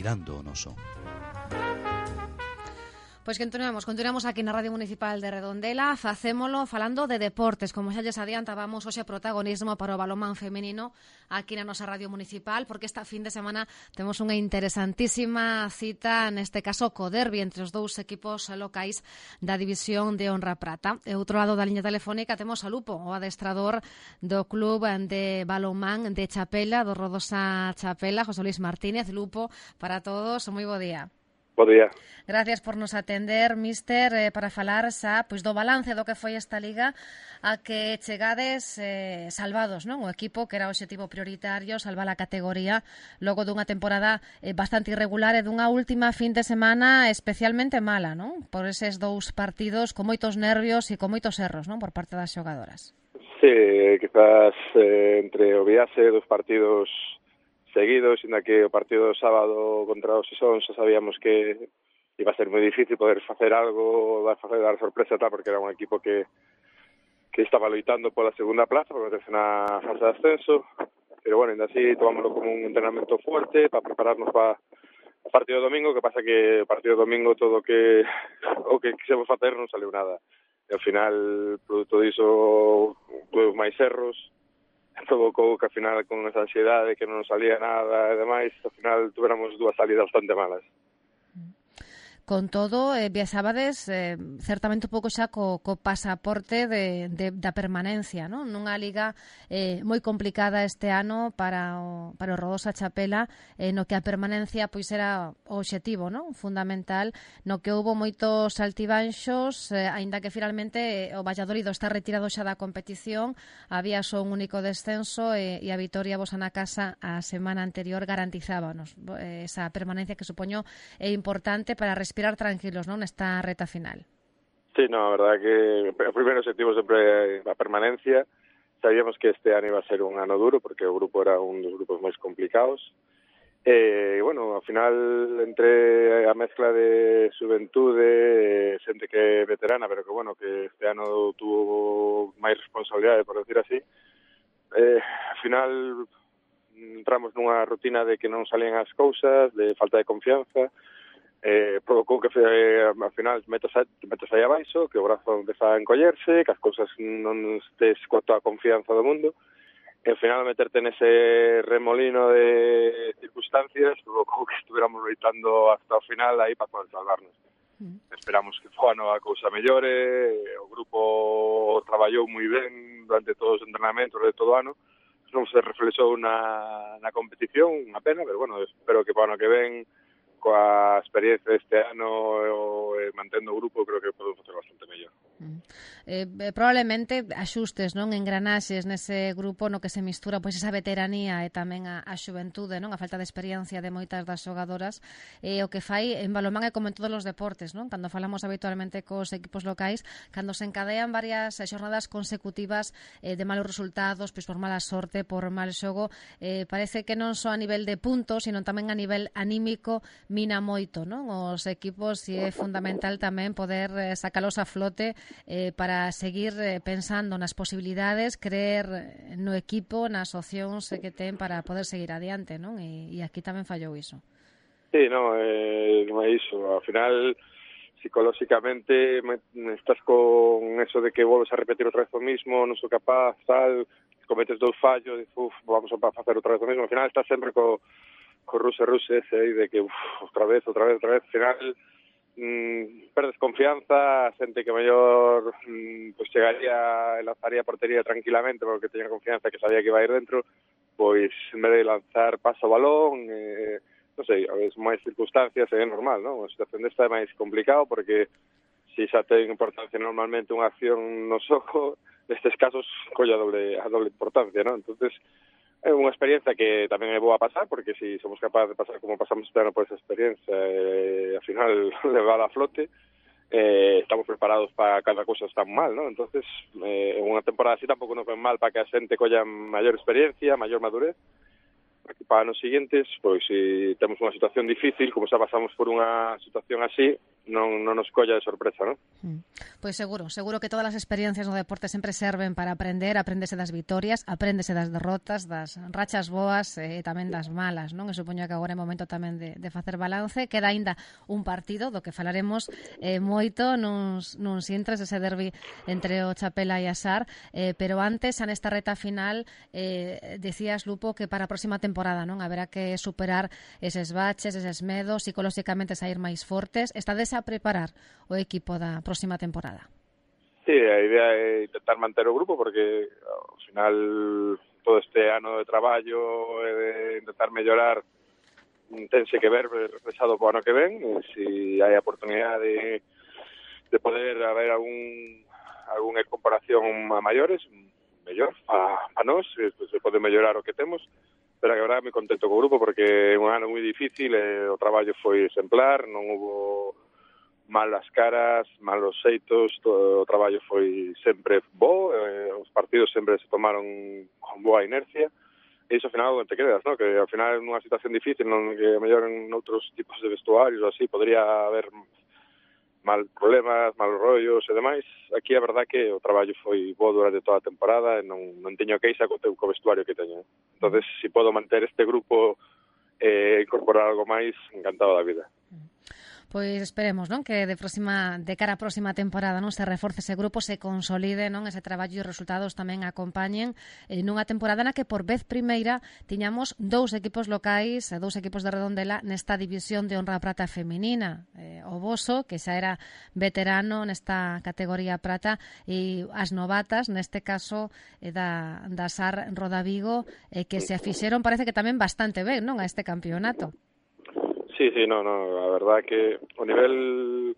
mirando o noso. Pois continuamos aquí na Radio Municipal de Redondela, facémolo falando de deportes, como xa lles adiantábamos hoxe protagonismo para o balonmán feminino aquí na nosa Radio Municipal, porque esta fin de semana temos unha interesantísima cita, neste caso co derbi entre os dous equipos locais da División de Honra Prata. E outro lado da liña telefónica temos a Lupo, o adestrador do club de balonmán de Chapela, do Rodosa Chapela, José Luis Martínez. Lupo, para todos, moi bo día. Bo día. Gracias por nos atender, míster, para falar xa pois do balance do que foi esta liga a que chegades salvados, non? O equipo que era o obxectivo prioritario, salvar a categoría logo dunha temporada bastante irregular e dunha última fin de semana especialmente mala, non? Por eses dous partidos con moitos nervios e con moitos erros, non? Por parte das xogadoras. Sí, quizás entre o viaxe dos partidos seguidos, inda que o partido do sábado contra os Sison xa sabíamos que iba a ser moi difícil poder facer algo, dar sorpresa tal, porque era un equipo que estaba loitando pola segunda plaza, por meterse na fase de ascenso, pero bueno, ainda así tomámoslo como un entrenamento fuerte para prepararnos para o partido do domingo, que pasa que o partido do domingo todo o que quixemos facer non saliu nada. E ao final, produto diso, tuve máis erros, provocou que ao final con esa ansiedade que non salía nada e demais, ao final tuéramos dúas salidas bastante malas. Con todo, viaxabades certamente un pouco xa co pasaporte da permanencia, non? Nunha liga moi complicada este ano para o Rodosa Chapela, no que a permanencia pois era o obxectivo, non? Fundamental, no que houbo moitos altibanxos, aínda que finalmente o Valladolid está retirado xa da competición, había só un único descenso e a vitoria vosa na casa a semana anterior garantizábanos esa permanencia que supoño é importante para respirar tranquilos, non, nesta reta final. Sí, no, a verdade que o primeiro objetivo sempre é a permanencia. Sabíamos que este ano iba a ser un ano duro, porque o grupo era un dos grupos máis complicados. E, bueno, ao final, entre a mezcla de xuventude, xente que é veterana, pero que, bueno, que este ano tuvo máis responsabilidade, por decir así, ao final entramos nunha rutina de que non salían as cousas, de falta de confianza, provocou que ao final metas aí abaixo, que o brazo empeza a encollerse, que as cousas non estés coa toda a confianza do mundo, e ao final meterte nese remolino de circunstancias provocou que estuviéramos loitando hasta o final aí para poder salvarnos. Esperamos que ano a cousa mellore, o grupo traballou moi ben durante todos os entrenamentos de todo o ano, non se reflexou na competición, unha pena, pero bueno, espero que para o ano que ven coa experiencia deste ano e mantendo o grupo, creo que podemos facer bastante mellor. Probablemente axustes, non, engranaxes nese grupo no que se mistura pois esa veteranía e tamén a xuventude, non, a falta de experiencia de moitas das xogadoras, o que fai en balonmán é como en todos os deportes, non? Cando falamos habitualmente cos equipos locais, cando se encadean varias xornadas consecutivas de malos resultados, pois por mala sorte, por mal xogo, parece que non só a nivel de puntos, sino tamén a nivel anímico mina moito, non? Os equipos, e é fundamental tamén poder sacalos a flote para seguir pensando nas posibilidades, creer no equipo, nas opcións que ten para poder seguir adiante, non? E aquí tamén fallou iso. Sí, non é iso. Ao final, psicolóxicamente, estás con eso de que volves a repetir outra vez o mismo, non sou capaz, tal, cometes dous fallos, vamos a facer outra vez o mismo. Ao final estás sempre co ruse ese aí de que outra vez, ao final perdes confianza, xente que mellor pues chegaría e lanzaría a portería tranquilamente porque teña confianza que sabía que iba a ir dentro, pois en vez de lanzar paso o balón, non sei, a veces máis circunstancias é normal, non? A situación desta é máis complicado porque se xa ten importancia normalmente unha acción no xogo, nestes casos colla a doble importancia, non? Entonces é unha experiencia que tamén é boa a pasar, porque se somos capaces de pasar como pasamos este ano por esa experiencia, ao final levar a flote, estamos preparados para cada cousa tan mal, ¿no? Entonces, unha temporada así tampouco nos ven mal para que a xente colla maior experiencia, maior madurez, para anos siguientes, pois se temos unha situación difícil, como xa pasamos por unha situación así, non nos colla de sorpresa, non? Pois seguro que todas as experiencias no deporte sempre serven para apréndese das vitorias, apréndese das derrotas, das rachas boas e tamén das malas, non? E supoño que agora é momento tamén de facer balance. Queda aínda un partido do que falaremos moito nuns intres, ese derbi entre o Chapela e a SAR, pero antes, xa nesta reta final, decías, Lupo, que para a próxima temporada, non? Haberá que superar eses baches, eses medos, psicolóxicamente sair máis fortes. Estades a preparar o equipo da próxima temporada? Sí, a idea é intentar manter o grupo porque ao final todo este ano de traballo e de intentar mellorar tense que ver reflexado po ano que ven, e se hai a oportunidade de poder haber algunha comparación a maiores, mellor a nós, se pode mellorar o que temos, pero a verdade me contento co grupo porque é un ano moi difícil e o traballo foi exemplar, non hubo malas caras, malos xeitos, todo o traballo foi sempre bo, os partidos sempre se tomaron con boa inercia, e iso ao final te quedas, ¿no? Que ao final nunha situación difícil, non que mellor en outros tipos de vestuarios ou así, podría haber mal problemas, malos rollos e demais. Aquí a verdad que o traballo foi bo durante toda a temporada e non teño queixa co vestuario que teño. Entonces, se podo manter este grupo e incorporar algo máis, encantado da vida. Pois esperemos, non, que de cara á próxima temporada, non, se reforce ese grupo, se consolide, non, ese traballo e os resultados tamén acompañen nunha temporada na que por vez primeira tiñamos 2 equipos locais, 2 equipos de Redondela nesta división de honra prata feminina, o Boso, que xa era veterano nesta categoría prata, e as novatas, neste caso da SAR Rodavigo, que se afixeron, parece que tamén bastante ben, non, a este campeonato. Sí, no, a verdad que o nivel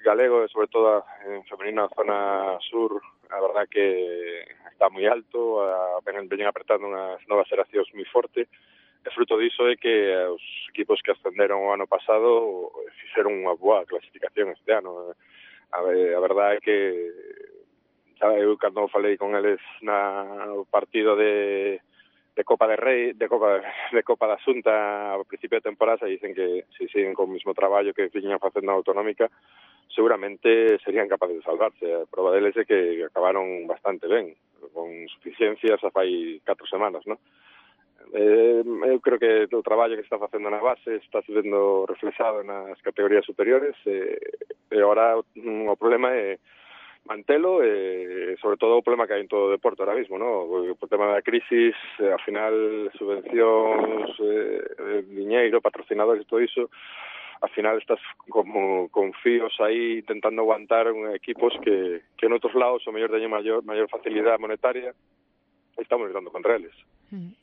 galego, sobre todo en femenina zona sur, a verdad que está moi alto, veñen apretando unhas novas xeracións moi forte, e fruto diso é que os equipos que ascenderon o ano pasado fixeron unha boa clasificación este ano. A verdade é que eu cando falei con eles no partido de Copa de Rei, de Copa da Xunta ao principio de temporada, dicen que se siguen con o mismo traballo que viñan facendo na autonómica, seguramente serían capaces de salvarse. A prova deles é que acabaron bastante ben, con suficiencias a fai 4 semanas, non? Eu creo que o traballo que está facendo na base está sendo reflexado nas categorías superiores, e agora o problema é mantelo e sobre todo o problema que hai en todo o deporte ahora mismo, ¿no? O tema da crisis, ao final subvencións, diñeiro, patrocinadores e todo iso, ao final estás como con fíos aí intentando aguantar equipos que en outros lados o mellor teñen maior facilidade monetaria e estamos lutando contra eles.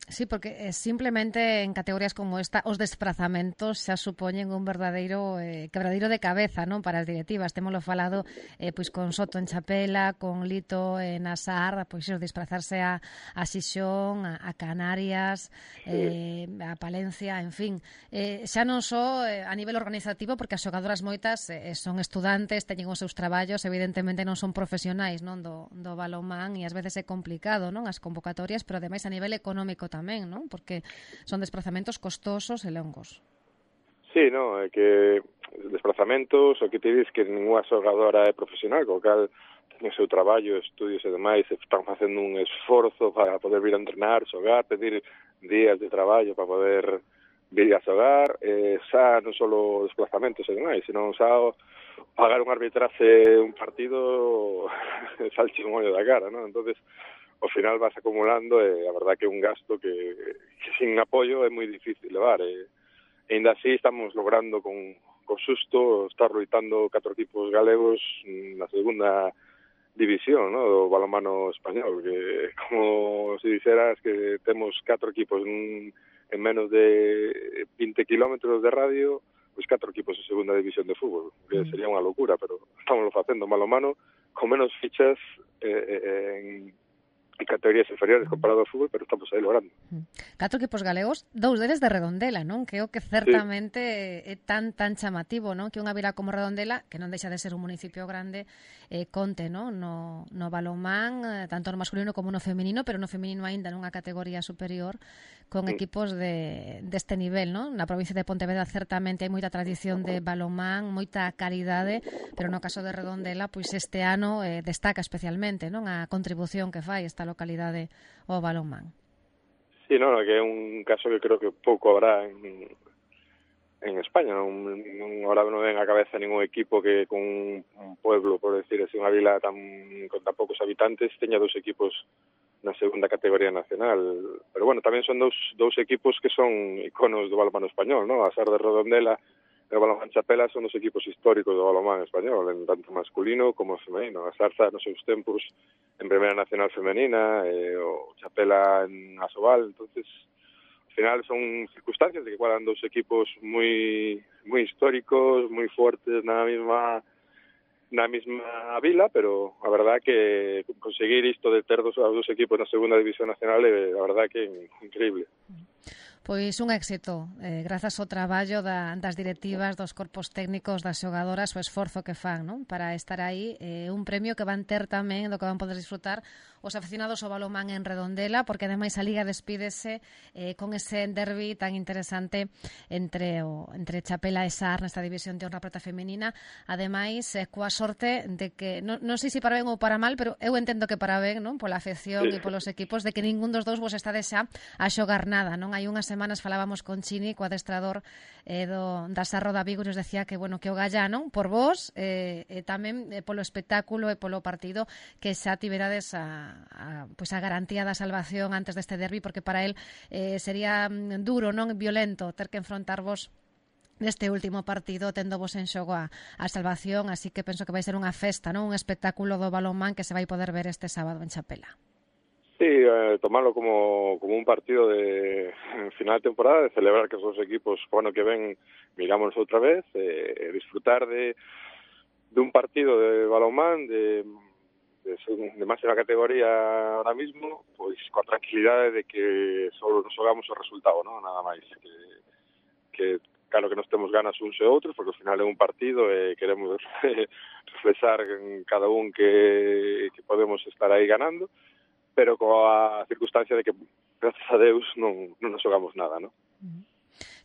Sí, porque simplemente en categorías como esta os desplazamentos xa supoñen un verdadeiro quebradeiro de cabeza, non, para as directivas. Témolo falado pois con Soto en Chapela, con Lito en Asar, pois os desplazarse a Xixón, a Canarias, a Palencia, en fin. Xa non só a nivel organizativo, porque as xogadoras moitas son estudantes, teñen os seus traballos, evidentemente non son profesionais, non, do balonmán, e ás veces é complicado, non, as convocatorias, pero ademais a nivel económico tamén, non? Porque son desplazamentos costosos e longos. Sí, no, é que desplazamentos, o que te dis que ninguna xogadora é profesional, co cal ten o seu traballo, estudios e demais, están facendo un esforzo para poder vir a entrenar, xogar, pedir días de traballo para poder vir a xogar, xa non só desplazamentos e demais, senón xa pagar un arbitraje un partido salche un ollo da cara, non? Entonces, ao final vas acumulando e a verdad que é un gasto que sin apoio é moi difícil levar. E ainda así estamos logrando con susto estar loitando 4 equipos galegos na segunda división, ¿no?, do balonmano español, que como se dixeras que temos 4 equipos en menos de 20 kilómetros de radio, pois 4 equipos en segunda división de fútbol, que sería unha locura, pero estamos facendo balonmano con menos fichas categorías inferiores comparado ao fútbol, pero estamos aí logrando. 4 equipos galegos, 2 deles de Redondela, non? Que é o que certamente é tan chamativo, non? Que unha vila como Redondela, que non deixa de ser un municipio grande, conte, non? No balonmán, tanto no masculino como no feminino, pero no feminino aínda nunha categoría superior, con equipos deste nivel, non? Na provincia de Pontevedra certamente hai moita tradición de balonmán, moita calidade, pero no caso de Redondela, pois este ano destaca especialmente, non? A contribución que fai esta localidade ao balonmán. Sí, no, que é un caso que creo que pouco habrá en España, ahora non ven a cabeza ningún equipo que con un pueblo, por decir así, unha vila con tan poucos habitantes, teña 2 equipos na segunda categoría nacional. Pero bueno, tamén son dous equipos que son iconos do balonmán español, ¿no? A Sar de Redondela e o Balonmán Chapela son os equipos históricos do balonmán español, en tanto masculino como femenino. A Sarza nos seus tempos en Primeira Nacional Femenina, o Chapela en Asobal, entonces al final son circunstancias de que cuadran dos equipos moi históricos, moi fuertes na mesma vila, pero a verdad que conseguir isto de ter dos equipos na segunda división nacional é a verdad que é increíble. Pois un éxito, grazas ao traballo das directivas, dos corpos técnicos, das xogadoras, o esforzo que fan, non? Para estar aí, un premio que van ter tamén, do que van poder disfrutar os aficionados ao balonmán en Redondela, porque ademais a Liga despídese con ese derbi tan interesante entre Chapela e Sar nesta división de honra prata femenina, ademais coa sorte de que, non sei se para ben ou para mal, pero eu entendo que para ben, non? Pola afección e polos equipos, de que ningún dos dous vos estades xa a xogar nada, non? Hai unhas semanas falábamos con Chini, co adestrador da Sarro da Vigo, e nos decía que, bueno, que o galla, non? Por vos, e tamén polo espectáculo e polo partido, que xa tiverades a garantía da salvación antes deste derbi, porque para él sería duro, non violento, ter que enfrontarvos neste último partido tendo vos en xogo a salvación, así que penso que vai ser unha festa, non? Un espectáculo do balonmán que se vai poder ver este sábado en Chapela. Sí, tomarlo como un partido de final de temporada, de celebrar que esos equipos, bueno, que ven, miramos outra vez, disfrutar de un partido de balonmán de máxima categoría ahora mismo, pois coa tranquilidade de que só nos xogamos o resultado, non? Nada máis que claro que nos temos ganas uns e outros, porque ao final é un partido e queremos reflexar en cada un que podemos estar aí ganando, pero coa circunstancia de que, gracias a Deus, non nos xogamos nada, non?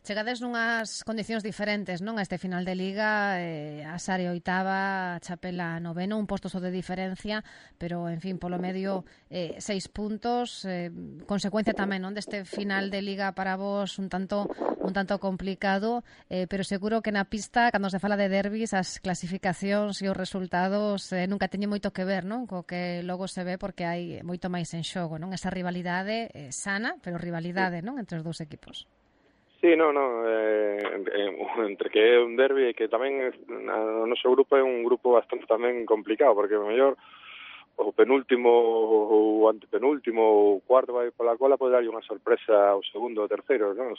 Chegades nunhas condicións diferentes, non? A este final de Liga, a Sare oitava, a Chapela noveno, un posto só de diferencia, pero, en fin, polo medio 6 puntos, consecuencia tamén, non? Deste final de Liga para vos un tanto complicado, pero seguro que na pista, cando se fala de derbis, as clasificacións e os resultados nunca teñen moito que ver, non? Co que logo se ve, porque hai moito máis en xogo, non? Esa rivalidade sana, pero rivalidade, non? Entre os dous equipos. Sí, entre que é un derbi e que tamén o noso grupo é un grupo bastante tamén complicado, porque o mellor o penúltimo ou antepenúltimo ou cuarto vai pola cola pode darlle unha sorpresa ao segundo ou terceiro, non?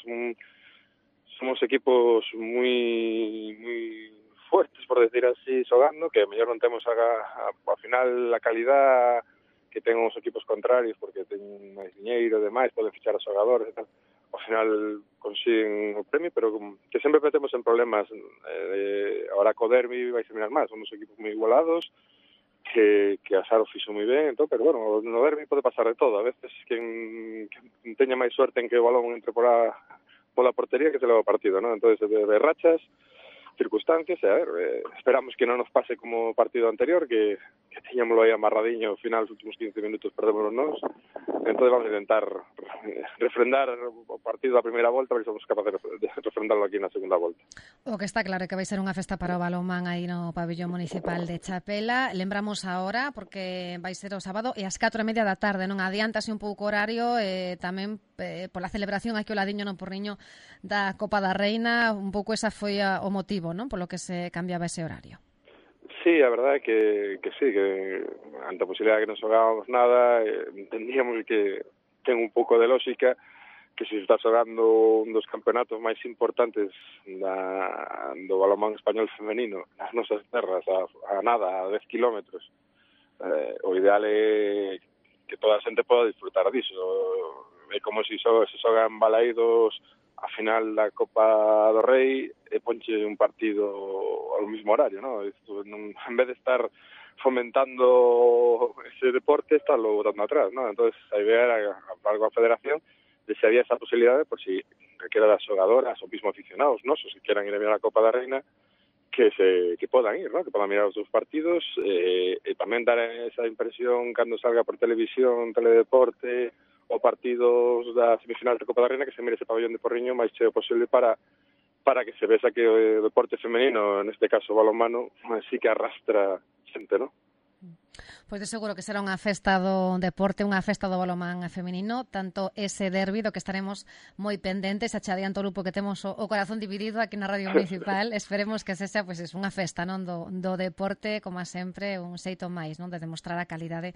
Somos equipos moi fuertes, por decir así, xogando, que mellor non temos ao final a calidad que ten os equipos contrarios, porque ten máis diñeiro e demais, poden fichar a xogadores e tal. Ao final consiguen o premio, pero que sempre metemos en problemas. Ahora co derbi vai ser mirar máis, somos equipos moi igualados, que a Saro fixo moi ben, entón, pero bueno, no derbi pode pasar de todo. A veces quen teña máis suerte en que o balón entre pola portería que se leva o partido, ¿no? Entonces, de rachas, circunstancias, e a ver, esperamos que non nos pase como o partido anterior, que teñámoslo aí amarradiño, ao final, os últimos 15 minutos perdémonos nós. Entonces vamos a intentar refrendar o partido da primeira volta, a ver se somos capaces de refrendarlo aquí na segunda volta. O que está claro é que vai ser unha festa para o balonmán aí no pabellón municipal de Chapela. Lembramos ahora, porque vai ser o sábado e ás 4:30 da tarde, non? Adiántase un pouco o horario, tamén pola celebración aquí o ladiño no Porriño da Copa da Reina, un pouco esa foi o motivo, non? Polo que se cambiaba ese horario. Sí, a verdade é que sí, que ante a posibilidad de que non xogábamos nada, entendíamos que ten un pouco de lógica que se está xogando un dos campeonatos máis importantes do balonmán español femenino nas nosas terras, a 10 kilómetros. O ideal é que toda a xente poda disfrutar disso. É como se xogan balaídos a final da Copa do Rei e ponche un partido ao mesmo horario, ¿no? Isto, en vez de estar fomentando ese deporte, está lo botando atrás, ¿no? Entonces, a idea era, algo a federación, de si había esa posibilidad, por si calquera das xogadoras ou mismo aficionados, ¿no? Se quieran ir a mirar a Copa da Reina, que podan ir, ¿no? Que podan mirar os seus partidos, e tamén dar esa impresión cando salga por televisión, teledeporte, o partidos da semifinal da Copa da Reina, que se mire ese pabellón de Porriño máis cheo posible para que se vesa que o deporte femenino, neste caso o balonmano, sí que arrastra xente, ¿no? Pois de seguro que será unha festa do deporte, unha festa do balonmán feminino, tanto ese derbi do que estaremos moi pendentes, xa adianto o grupo que temos o corazón dividido aquí na Radio Municipal. Esperemos que sexa pois unha festa, non, do deporte, como sempre, un xeito máis, non, de demostrar a calidade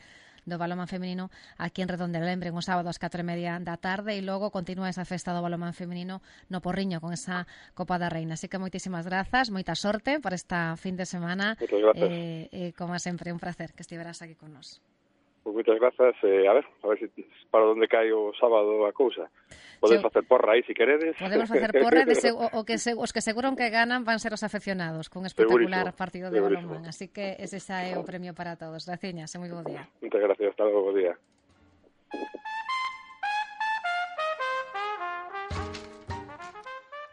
do balonmán feminino aquí en Redondela. Lembren, o sábado ás 4:30 da tarde e logo continúa esa festa do balonmán feminino no Porriño con esa Copa da Reina. Así que moitísimas grazas, moita sorte para esta fin de semana. Como sempre, un placer que estiveras aquí con nós. Pues moitas grazas, a ver se para onde cae o sábado a cousa. Podes facer porra aí, se queredes. Podemos facer porra, os que seguro que ganan van ser os afeccionados, con espectacular partido de balonmán. Así que ese xa é o premio para todos. Graciñas, e moi bo día. Moitas gracias, hasta logo, bo día.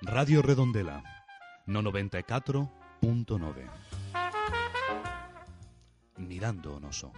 Radio Redondela, no 94.9. Mirando o noso.